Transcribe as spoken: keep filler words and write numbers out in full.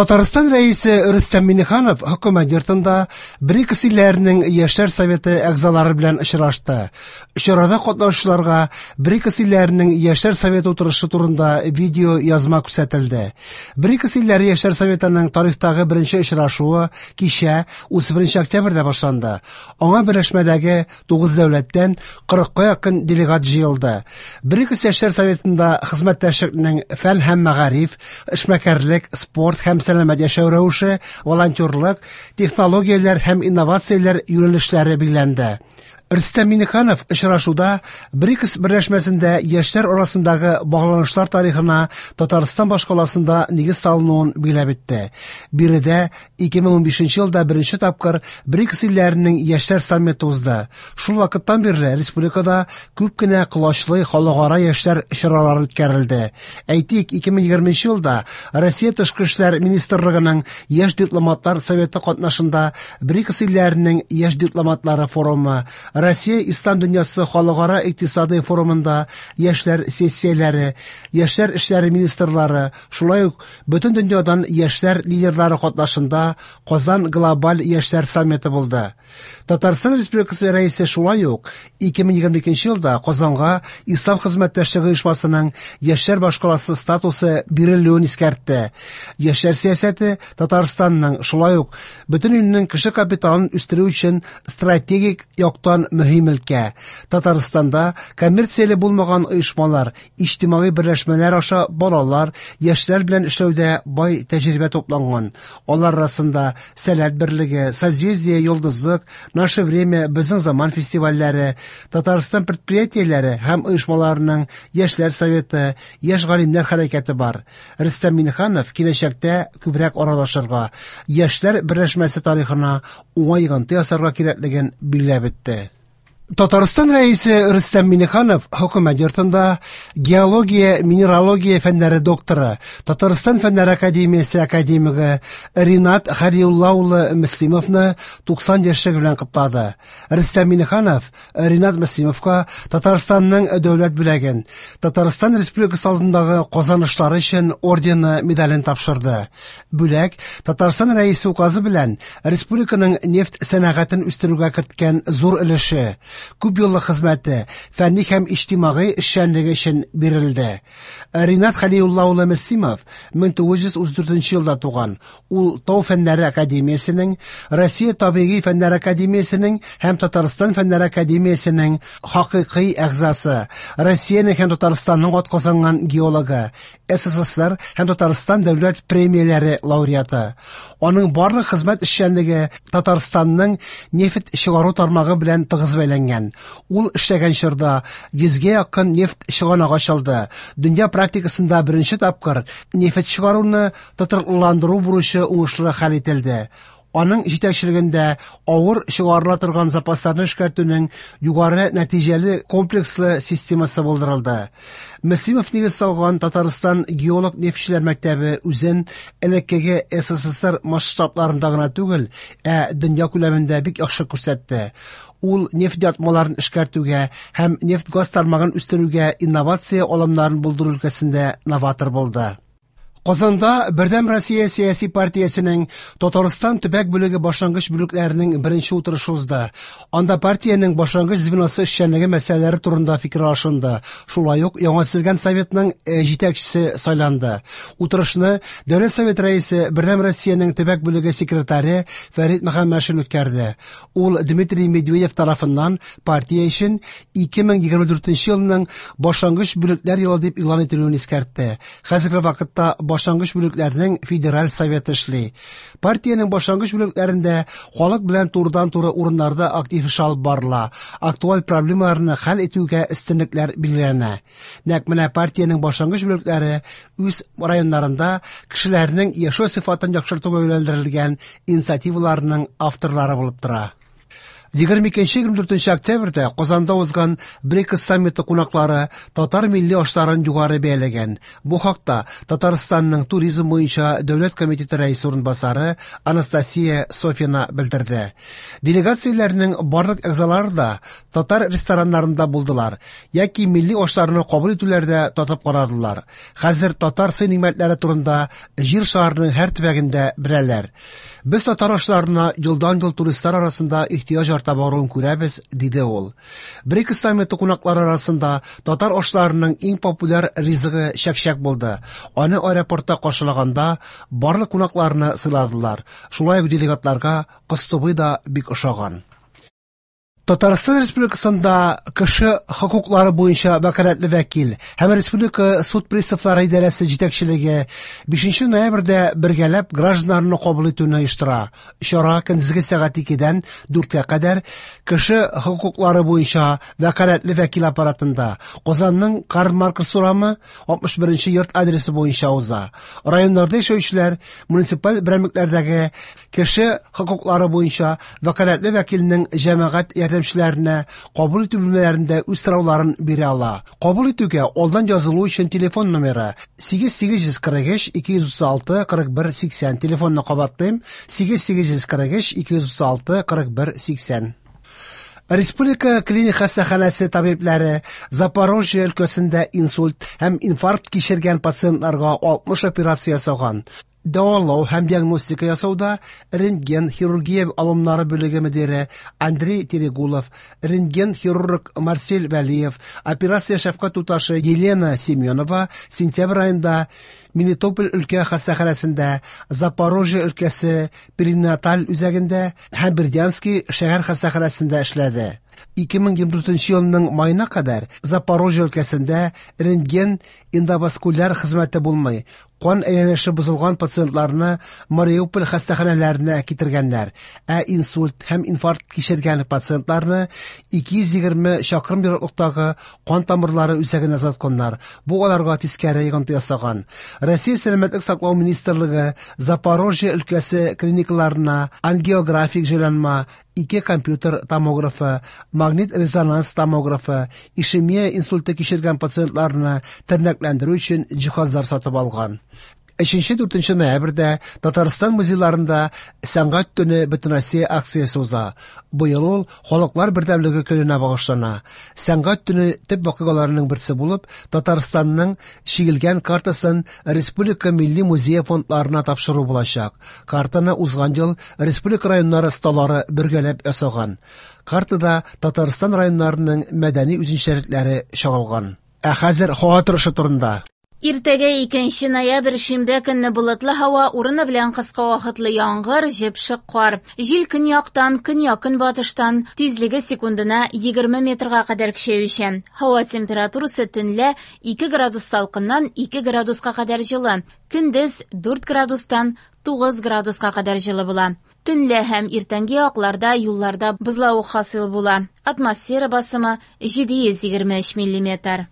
Татарстан Рәисе Рөстәм Миңнеханов хөкүмәт йортында БРИКС илләренең Яшьләр советы әгъзалары белән очрашты. Чарада катнашучыларга БРИКС илләренең Яшьләр советы утырышы турында видео язма күрсәтелде. БРИКС илләре Яшьләр советының тарихтагы беренче очрашуы кичә утыз беренче октябрьдә башланды. Аңа берләшмәдәге тугыз дәүләттән кырыкка якын делегат җыелды. БРИКС Яшьләр советында хезмәттәшлекнең фән һәм мәгариф, эшмәкәрлек, спорт һәм сәламәт яшәү рәвеше, волонтерлык, технологияләр һәм инновацияләр юнәлешләре билгеләнде. Рөстәм Миңнеханов очрашуда БРИКС берләшмәсендә яшьләр арасындагы багланышлар тарихына Татарстан башкаласында нигез салынуын билгеләп үтте. Биредә ике мең унбишенче елда беренче тапкыр БРИКС илләренең яшьләр саммиты узды. Шул вакыттан бирле республикада күп кенә колачлы халыкара яшьләр чаралары үткәрелде. Әйтик, ике мең егерменче елда Россия Тышкы эшләр министрлыгының Яшь дипломатлар советы катнашында БРИКС илләренең яшь дипломатлары форумы, Россия Ислам дөньясы халыкара икътисадый форумында яшьләр сессияләре, яшьләр эшләре министрлары, шулай ук бөтен дөньядан яшьләр лидерлары катнашында Казан глобаль яшьләр саммиты булды. Татарстан Республикасы Рәисе шулай ук ике мең егерме икенче елда Казанга Ислам хезмәттәшлеге оешмасының яшьләр башкаласы статусы бирелүен искәртте. Яшьләр сәясәте Татарстанның шулай ук бөтен илнең кеше капиталын үстерү өчен стратегик яктан мөһим өлкә. Татарстанда коммерцияле булмаган оешмалар, иҗтимагый берләшмәләр аша балалар, яшьләр белән эшләүдә бай тәҗрибә тупланган. Алар арасында Сәләт берлеге, Созвездие Йолдызлык, Наше время, Безнең заман фестивальләре, Татарстан предприятиеләре һәм оешмаларының Яшьләр советы, Яшь галимнәр хәрәкәте бар. Рөстәм Миңнеханов киләчәктә күбрәк аралашырга, яшьләр берләшмәсе тарихына уңай йогынты ясарга кирәклеген билгеләп үтте. Татарстан Рәисе Рөстәм Миңнеханов хөкүмәт йортында геология, минералогия фәннәре докторы, Татарстан Фәннәр академиясе академигы Ринат Хәлиулла улы Мөслимовны туксан яшьлеге белән котлады. Рөстәм Миңнеханов Ринат Мөслимовка Татарстанның дәүләт бүләген, Татарстан Республикасы алдындагы казанышлары өчен ордены медален тапшырды. Бүләк Татарстан Рәисе указы белән республиканың нефть сәнәгатен үстерүгә керткән зур өлеше, күп еллык хезмәте, фәнни һәм иҗтимагый эшчәнлеге өчен бирелде. Ринат Хәлиулла улы Мөслимов мең тугыз йөз утыз дүртенче елда туган. Ул Тау фәннәре академиясенең, Россия табигый фәннәр академиясенең һәм Татарстан фәннәр академиясенең хакыйкый әгъзасы, Россиянең һәм Татарстанның атказанган геологы, СССР һәм Татарстан дәүләт премияләре лауреаты. Аның барлык хезмәт эшчәнлеге Татарстанның нефть чыгару тармагы белән тыгыз бәйләнгән. Ул эшләгән чорда йөзгә якын нефть чыганагы ачылды. Дөнья практикасында беренче тапкыр нефть чыгаруны тотрыклыландыру бурычы уңышлы хәл ителде. Аның җитәкчелегендә авыр чыгарыла торган запасларны эшкәртүнең югары нәтиҗәле комплекслы системасы булдырылды. Мөслимов нигез салган Татарстан геолог нефтьчеләр мәктәбе үзен элеккеге СССР масштабларында гына түгел, ә дөнья күләмендә бик яхшы күрсәтте. Ул нефть ятмаларын эшкәртүгә һәм нефть-газ тармагын үстерүгә инновация алымнарын булдыру өлкәсендә новатор булды. Казанда Бердәм Россия сәяси партиясенең Татарстан төбәк бүлеге башлангыч бүлекләренең беренче утырышы узды. Анда партиянең башлангыч звеносы эшчәнлеге мәсьәләләре турында фикер алышынды. Шулай ук яңа төзелгән советның, э, җитәкчесе сайланды. Утырышны Дәүләт Совет рәисе Бердәм Россиянең төбәк бүлеге секретаре Фәрит Мөхәммәтшин үткәрде. Ул Дмитрий Медведев тарафыннан партия өчен ике мең егерме дүртенче елның башлангыч бүлекләр елы дип игълан ителүен искәртте. Хәзерге вакытта башлангыч бүлекләрнең федераль советы эшли. Партиянең башлангыч бүлекләрендә халык белән турыдан-туры урыннарда актив эш алып барыла. Актуаль проблемаларны хәл итүгә өстенлекләр билгеләнә. Нәкъ менә партиянең башлангыч бүлекләре үз районнарында кешеләрнең яшәү сыйфатын яхшыртуга юнәлдерелгән инициативаларның авторлары булып тора. Егерме икенче-егерме дүртенче октябрьдә Казанда узган БРИКС саммиты кунаклары татар милли ашларын югары бәяләгән. Бу хакта Татарстанның туризм буенча дәүләт комитеты рәисе урынбасары Анастасия Софина белдерде. Делегацияләрнең барлык әгъзалары да татар рестораннарында булдылар яки милли ашларны кабул итүләрдә татып карадылар. Хәзер татар сый-нигъмәтләре турында Җир шарының һәр төбәгендә беләләр. Без татар ашларына елдан-ел туристлар арасында ихтыяҗ арта баруын күрәбез, диде ул. БРИКС саммиты кунаклары арасында татар ашларының иң популяр ризыгы чәкчәк булды. Аны аэропортта каршылаганда барлык кунакларны сыйладылар. Шулай ук делегатларга кыстыбый да бик ошаган. Татарстан Республикасында кеше хокуклары буенча вәкаләтле вәкил һәм Республика суд приставлары идарәсе җитәкчелеге бишенче ноябрьдә бергәләп гражданнарны кабул итүне оештыра. Чара көндезге сәгать икедән дүрткә кадәр кеше хокуклары буенча вәкаләтле вәкил аппаратында Казанның Карл Маркс урамы алтмыш беренче йорт адресы буенча уза. Районнарда яшәүчеләр муниципаль берәмлекләрдәге кеше хокуклары буенча вәкаләтле вәкилнең җәмәгать ярдәмчеләренә кабул итү бүлмәләрендә үз сорауларын бирә ала. Кабул итүгә алдан язылу өчен телефон номеры сигез сигез йөз кырык өч ике йөз утыз алты кырык бер сиксән. Телефонны кабатлыйм: сигез сигез йөз кырык өч ике йөз утыз алты кырык бер сиксән. Республика клиник хастаханәсе табибләре Запорожье өлкәсендә инсульт һәм инфаркт кичергән пациентларга алтмыш операция ясаган. Дәвалау һәм диагностика ясауда рентген хирургия алымнары бүлеге мөдире Андрей Терегулов, рентген хирург Марсель Вәлиев, операция шәфкать туташы Елена Семенова сентябрь аенда Мелитополь өлкә хастаханәсендә, Запорожье өлкәсе перинаталь үзәгендә һәм Бердянский шәһәр хастаханәсендә эшләде. Ике мең егерме дүртенче елның маена кадәр Запорожье өлкәсендә рентген эндоваскуляр хезмәте булмый. Кан әйләнеше бозылган пациентларны Мариуполь хастаханәләренә китергәннәр, ә инсульт һәм инфаркт кичергән пациентларны ике йөз егерме чакрым ераклыктагы кан тамырлары үзәгенә озатканнар. Бу аларга тискәре йогынты ясаган. Россия Сәламәтлек саклау министрлыгы Запорожье өлкәсе клиникаларына ангиографик җайланма, ике компьютер томографы, магнит-резонанс томографы, ишемия инсульты кичергән пациентларны тернәкләндерү өчен җиһазлар сатып алган. Өченче дүртенче ноябрьдә Татарстан музейларында Сәнгать төне Бөтенроссия акциясе уза. Быел ул Халыклар бердәмлеге көненә багышлана. Сәнгать төне төп вакыйгаларының берсе булып, Татарстанның чигелгән картасын Республика Милли музее фондларына тапшыру булачак. Картаны узган ел республика районнары осталары бергәләп ясаган. Картада Татарстан районнарының мәдәни үзенчәлекләре чагылган. Ә хәзер һава торышы турында. Иртәгә икенче ноябрь шимбә көнне болытлы һава, урыны белән кыска вакытлы яңгыр, җепшек кар. Җил көньяктан, көньяк-көнбатыштан, тизлеге секундына егерме метрга кадәр көчәючән. Һава температурасы төнлә ике градус салкыннан ике градуска кадәр җылы, көндез дүрт градустан тугыз градуска кадәр җылы була. Төнлә һәм иртәнге якларда юлларда бозлавык хасил була. Атмосфера басымы җиде йөз егерме өч миллиметр.